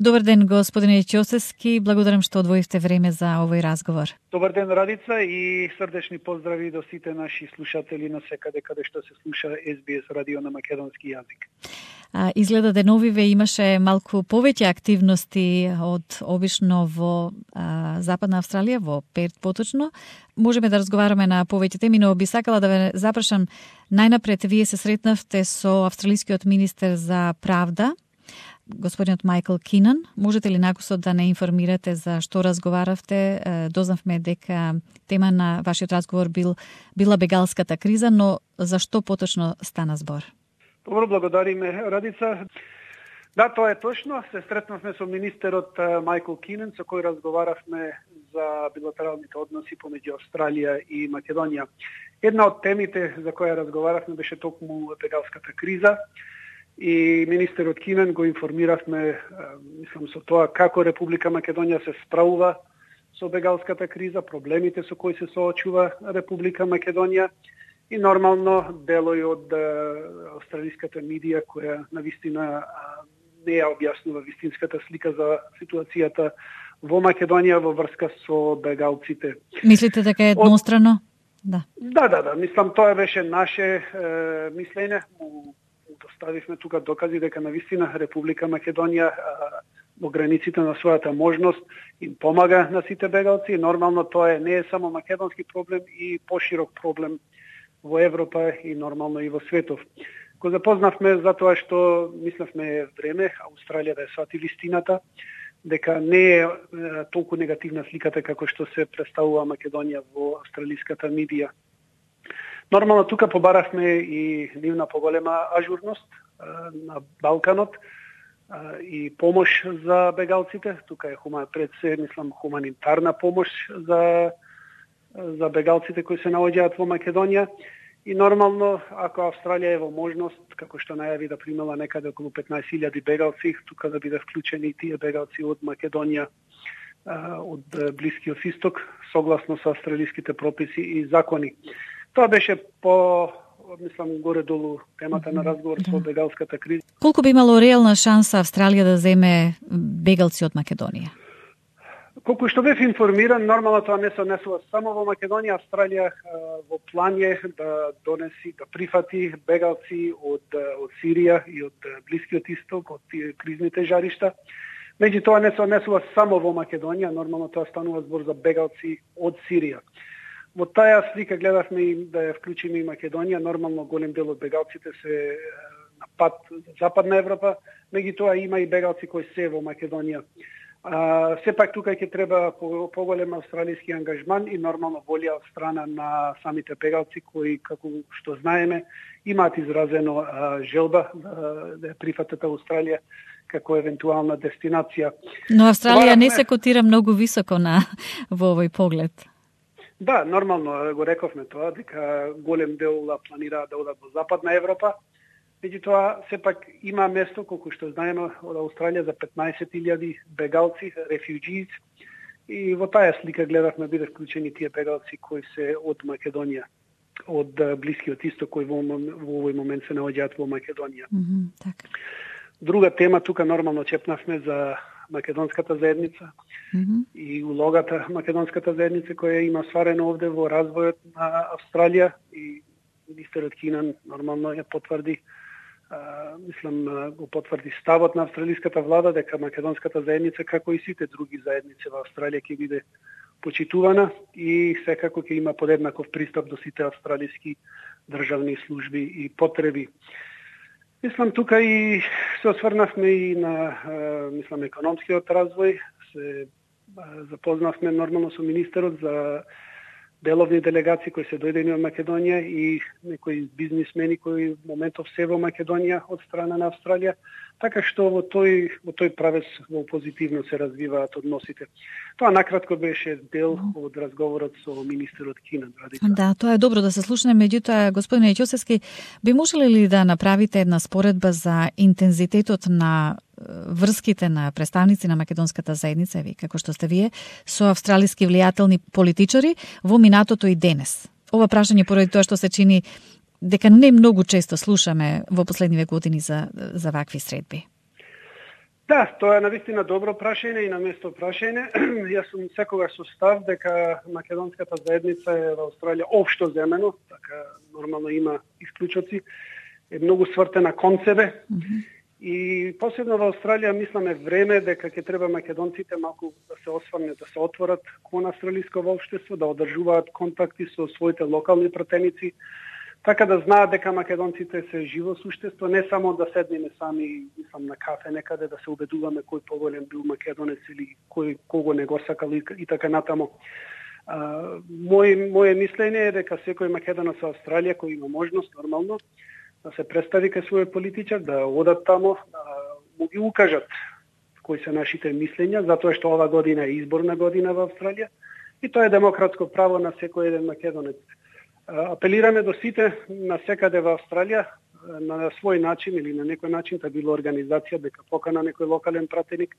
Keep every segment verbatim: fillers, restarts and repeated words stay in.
Добар ден, господине Ќосевски. Благодарам што одвоивте време за овој разговор. Добар ден, Радица, и срдечни поздрави до сите наши слушатели на секаде каде што се слуша Ес Би Ес радио на македонски јазик. А, изгледа деновиве имаше малку повеќе активности од обично во а, Западна Австралија, во Перт поточно. Можеме да разговараме на повеќе теми, но би сакала да ве запрашам најнапред. Вие се сретнавте со австралискиот министер за правда, господинот Майкл Кинан. Можете ли накусот да не информирате за што разговаравте? Дознавме дека тема на вашиот разговор бил била бегалската криза, но за што поточно стана збор? Добро, благодариме, Радица. Да, тоа е точно. Се сретнавме со министерот Майкл Кинан, со кој разговаравме за билатералните односи помеѓу Австралија и Македонија. Една од темите за која разговаравме беше токму бегалската криза. И министерот Кинан го информиравме, мислам, со тоа како Република Македонија се справува со бегалската криза, проблемите со кои се соочува Република Македонија и нормално делој од австралиската медија која навистина не ја објаснува вистинската слика за ситуацијата во Македонија во врска со бегалците. Мислите дека е еднострано? Да. Да, да, да. Мислам, тоа беше наше е, мислење. Доставивме тука докази дека навистина Република Македонија во границите на својата можност им помага на сите бегалци. Нормално тоа е не е само македонски проблем и поширок проблем во Европа и нормално и во светов. Го запознавме затоа што мислевме време Австралија да ја свати вистината, дека не е толку негативна сликата како што се представува Македонија во австралиската медија. Нормално тука побаравме и нивна поголема ажурност на Балканот и помош за бегалците. Тука е хума, пред се, мислам, хуманитарна помош за за бегалците кои се наоѓаат во Македонија. И нормално, ако Австралија е во можност, како што најави да примела некаде околу петнаесет илјади бегалци, тука да биде вклучени и тие бегалци од Македонија, од Блискиот Исток, согласно со австралиските прописи и закони. Тоа беше по, мислам, горе-долу темата на разговор со бегалската криза. Колку би имало реална шанса Австралија да земе бегалци од Македонија? Колку што бев информиран, нормално тоа не се однесува само во Македонија. Австралија во план е да донеси, да прифати бегалци од, од Сирија и од Блискиот Исток, од тие кризните жаришта. Меѓутоа не се однесува само во Македонија, нормално тоа станува збор за бегалци од Сирија. Во таа слика гледавме и да ја вклучиме и Македонија. Нормално голем дел од бегалците се на пат за Западна Европа, меѓутоа има и бегалци кои се во Македонија. А, сепак тука ќе треба поголем австралиски ангажман и нормално волја од страна на самите бегалци кои, како што знаеме, имаат изразено а, желба да, да прифатат Австралија како евентуална дестинација. Но Австралија не се котира многу високо на во овој поглед. Да, нормално го рековме тоа, дека голем дел планираат да одат во Западна Европа. Меѓутоа, сепак има место, колку што знаеме, од Австралија за петнаесет илјади бегалци, рефуџији, и во таа слика гледавме биде вклучени тие бегалци кои се од Македонија, од Блискиот Исток, кои во, во овој момент се наоѓаат во Македонија. Mm-hmm, така. Друга тема, тука нормално чепнавме за македонската заедница mm-hmm. и улогата македонската заедница која има сварено овде во развојот на Австралија, и министерот Кинан нормално ја потврди, а, мислам, го потврди ставот на австралиската влада дека македонската заедница, како и сите други заедници во Австралија, ќе биде почитувана и секако ќе има подеднаков пристап до сите австралиски државни служби и потреби. Мислам, тука и се осврнавме и на, мислам, економскиот развој. Се запознавме нормално со министерот за деловни делегации кои се дојдени од Македонија и некои бизнисмени кои в моментов се во Македонија од страна на Австралија, така што во тој во тој правец во позитивно се развиваат односите. Тоа накратко беше дел од разговорот со министерот Кинан. Да, тоа е добро да се слушне, меѓутоа господине Ќосевски, би можеле ли да направите една споредба за интензитетот на врските на представници на македонската заедница, ви како што сте вие, со австралиски влијателни политичари во минатото и денес? Ова прашање поради тоа што се чини дека не многу често слушаме во последниве години за, за вакви средби. Да, тоа е навистина добро прашање и на место прашање. Јас сум секогаш со став дека македонската заедница е во Австралија општо земено, така нормално има исклучоци, е многу свртена кон себе. Mm-hmm. И посебно во Австралија мисламе време дека ќе треба македонците малку да се осврнат, да се отворат кон австралиско општество, да одржуваат контакти со своите локални пратеници, така да знаат дека македонците се живо суштество, не само да седнеме сами, мислам, на кафе некаде да се убедуваме кој поголем бил македонец или кој кого не го сакал и, и така натаму. А, мој моје мислење е дека секој македонец во Австралија кој има можност нормално да се представи кај свој политичар, да одат тамо, да му ги укажат кои се нашите мислења, затоа што ова година е изборна година во Австралија и тоа е демократско право на секој еден македонец. Апелираме до сите на секаде во Австралија на свој начин или на некој начин да било организација дека покана некој локален пратеник,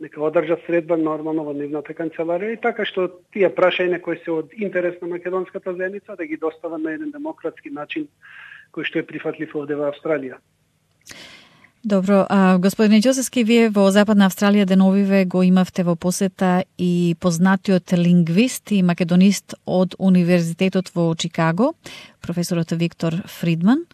нека одржат средба нормално во нивната канцеларија и така што тие прашања кои се од интерес на македонската заедница да ги достава на еден демократски начин кој што е прифатлив овде во Австралија. Добро, а, господине Ѓосевски, вие во Западна Австралија деновиве го имавте во посета и познатиот лингвист и македонист од Универзитетот во Чикаго, професорот Виктор Фридман.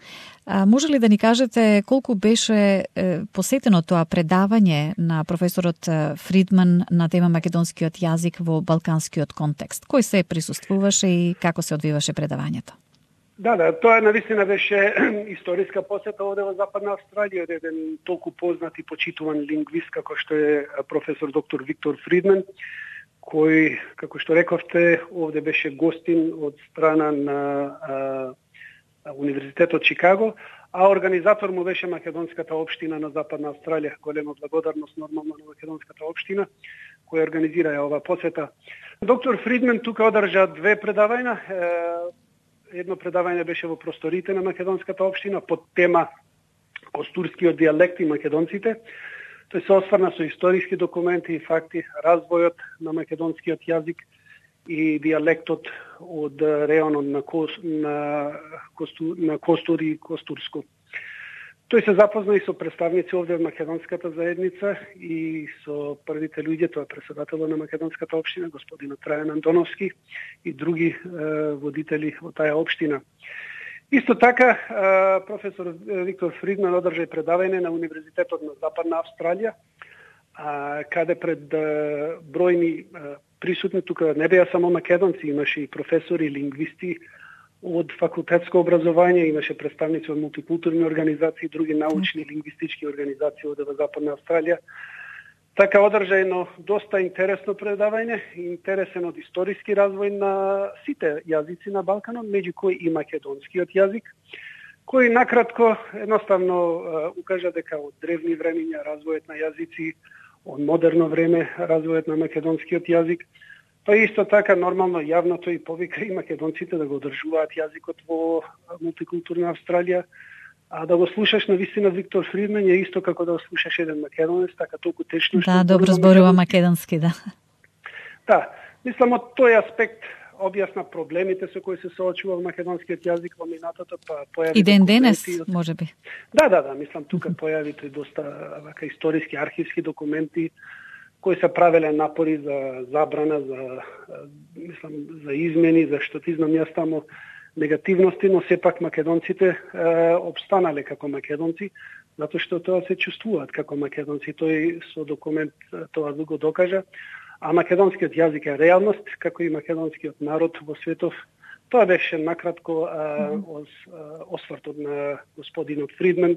А, може ли да ни кажете колку беше е, посетено тоа предавање на професорот Фридман на тема македонскиот јазик во балканскиот контекст? Кој се присуствуваше и како се одвиваше предавањето? Да, да, тоа навистина беше историска посета овде во Западна Австралија, еден толку познат и почитуван лингвист како што е професор доктор Виктор Фридман, кој, како што рековте, овде беше гостин од страна на а, Универзитетот Чикаго, а организатор му беше македонската општина на Западна Австралија. Голема благодарност нормално на македонската општина која организира ова посета. Доктор Фридман тука одржа две предавања. Едно предавање беше во просторите на македонската општина под тема Костурскиот дијалект и македонците. Тој се осврна со историски документи и факти, развојот на македонскиот јазик и дијалектот од реонот на, Кос, на, Косту, на Костур и Костурско. Тој се запозна и со представници овде од македонската заедница и со првите луѓе, тоа председателот на македонската општина, господинот Трајан Антоновски и други е, водители од таа општина. Исто така, е, професор Виктор Фридман одржа предавање на Универзитетот на Западна Австралија, а, каде пред е, бројни е, присутни, тука не беа само македонци, имаше и професори, лингвисти, од факултетско образование, имаше представници од мултикултурни организации, други научни лингвистички организации од Западна Австралија. Така одржа едно доста интересно предавање, интересен од историски развој на сите јазици на Балканот, меѓу кои и македонскиот јазик, кој накратко едноставно укажа дека од древни времиња развојот на јазици, од модерно време развојот на македонскиот јазик. Па исто така нормално јавното и повика и македонците да го одржуваат јазикот во мултикултурна Австралија, а да го слушаш на вистина Виктор Фридман е исто како да го слушаш еден македонец, така толку течно што да, добро зборува македонски, да. Да, мислам од тој аспект објасна проблемите со кои се соочува македонскиот јазик во минатото, па појави и ден денес, можеби. Да, да, да, мислам тука појави тој доста вака историски архивски документи кои се правеле напори за забрана, за мислам за измени, за што ти знам јас таму негативности, но сепак македонците е, обстанале како македонци, затоа што тоа се чувствуваат како македонци. Тој со документ тоа го докажа. А македонскиот јазик е реалност, како и македонскиот народ во светов. Тоа беше накратко а, ос, а, освртот на господинот Фридман.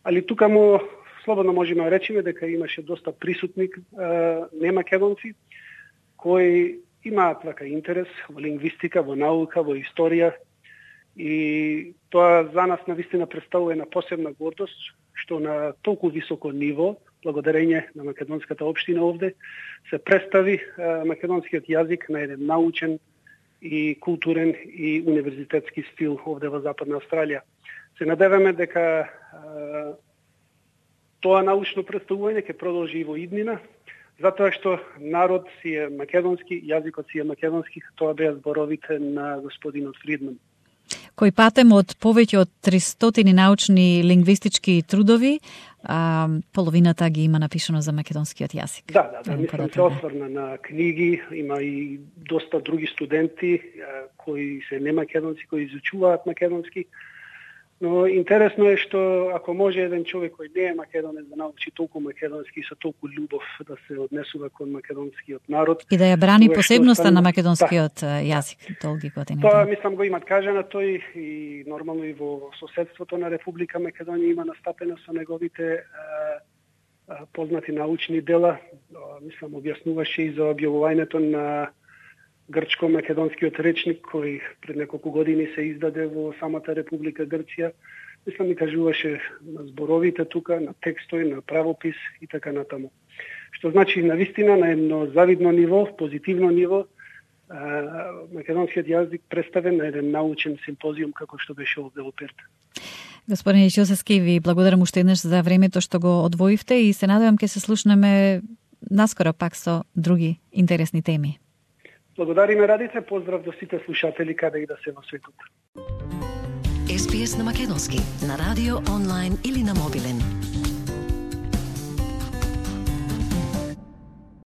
Али тука му слободно можеме да речеме дека имаше доста присутни а, немакедонци кои имаат вака интерес во лингвистика, во наука, во историја и тоа за нас навистина представува една посебна гордост што на толку високо ниво, благодарење на македонската општина овде, се представи а, македонскиот јазик на еден научен и културен и универзитетски стил овде во Западна Австралија. Се надеваме дека а, тоа научно представување ќе продолжи и во иднина, затоа што народ си е македонски, јазикот си е македонски, тоа беа зборовите на господинот Фридман. кој патем од повеќе од тристотини научни лингвистички трудови, а, половината ги има напишано за македонскиот јазик. Да, да, да, мислам се осврна на книги, има и доста други студенти кои се немакедонци, кои изучуваат македонски. Но интересно е што ако може еден човек кој не е македонец да научи толку македонски и со толку љубов да се однесува кон македонскиот народ и да ја брани посебноста стан... на македонскиот да. јазик толги години. Тоа мислам го имат кажано тој и нормално и во соседството на Република Македонија има настапено со неговите а, а, познати научни дела. А, мислам објаснуваше и за објавувањето на грчко-македонскиот речник кој пред неколку години се издаде во самата Република Грција. Мислам ми кажуваше на зборовите тука, на текстови, на правопис и така натаму. Што значи навистина на едно завидно ниво, позитивно ниво, македонскиот јазик представен на еден научен симпозиум како што беше овде во Перт. Господин Ичилсески, ви благодарам уште еднаш за времето што го одвоивте и се надевам ќе се слушнеме наскоро пак со други интересни теми. Благодариме, Радице, поздрав до сите слушатели каде и да се во светот. Ес Би Ес на македонски, на радио, онлайн или на мобилен.